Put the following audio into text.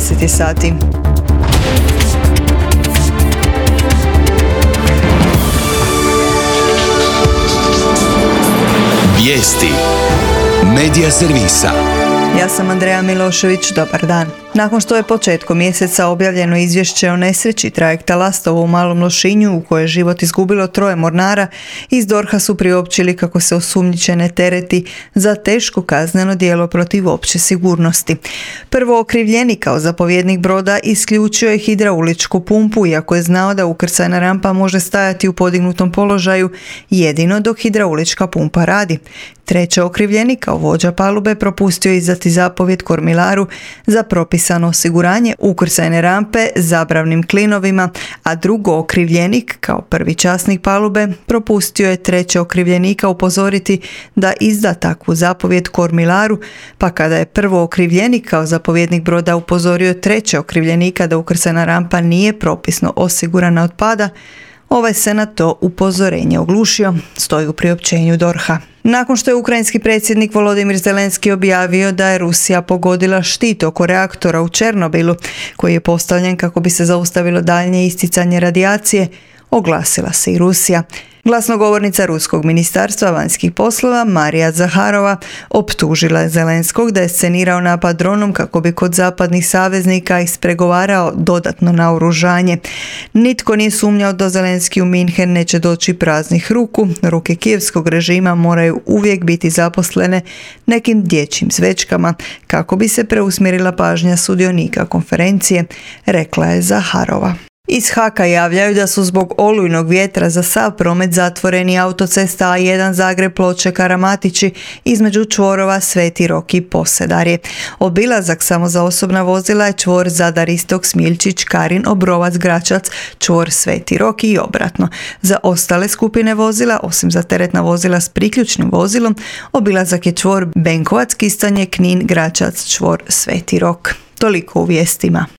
10 sati. Vijesti Medija servisa. Ja sam Andreja Milošević, dobar dan. Nakon što je početkom mjeseca objavljeno izvješće o nesreći trajekta Lastovo u Malom Lošinju u kojoj je život izgubilo 3 mornara, iz DORH-a su priopćili kako se osumnjičene tereti za teško kazneno djelo protiv opće sigurnosti. Prvo okrivljeni kao zapovjednik broda isključio je hidrauličku pumpu, iako je znao da ukrcajna rampa može stajati u podignutom položaju jedino dok hidraulička pumpa radi. Treći okrivljeni kao vođa palube propustio je izdati zapovjed kormilaru za propisano osiguranje ukrcajne rampe zabravnim klinovima, a drugo okrivljenik kao prvi časnik palube propustio je treće okrivljenika upozoriti da izda takvu zapovjed kormilaru, pa kada je prvo okrivljenik kao zapovjednik broda upozorio treće okrivljenika da ukrcajna rampa nije propisno osigurana od pada, ovaj se na to upozorenje oglušio, stoji u priopćenju DORH-a. Nakon što je ukrajinski predsjednik Volodimir Zelenski objavio da je Rusija pogodila štit oko reaktora u Černobilu, koji je postavljen kako bi se zaustavilo daljnje isticanje radijacije, oglasila se i Rusija. Glasnogovornica Ruskog ministarstva vanjskih poslova Marija Zaharova optužila je Zelenskog da je scenirao napad dronom kako bi kod zapadnih saveznika ispregovarao dodatno naoružanje. Nitko nije sumnjao da Zelenski u Minhen neće doći praznih ruku. Ruke kijevskog režima moraju uvijek biti zaposlene nekim dječjim zvečkama kako bi se preusmjerila pažnja sudionika konferencije, rekla je Zaharova. Iz Haka javljaju da su zbog olujnog vjetra za sav promet zatvoreni autocesta A1 Zagreb-Ploče-Karamatići između čvorova Sveti Rok i Posedarje. Obilazak samo za osobna vozila je čvor Zadar-Istok, Smiljčić, Karin, Obrovac, Gračac, čvor Sveti Rok i obratno. Za ostale skupine vozila, osim za teretna vozila s priključnim vozilom, obilazak je čvor Benkovac, Kistanje, Knin, Gračac, čvor Sveti Rok. Toliko u vijestima.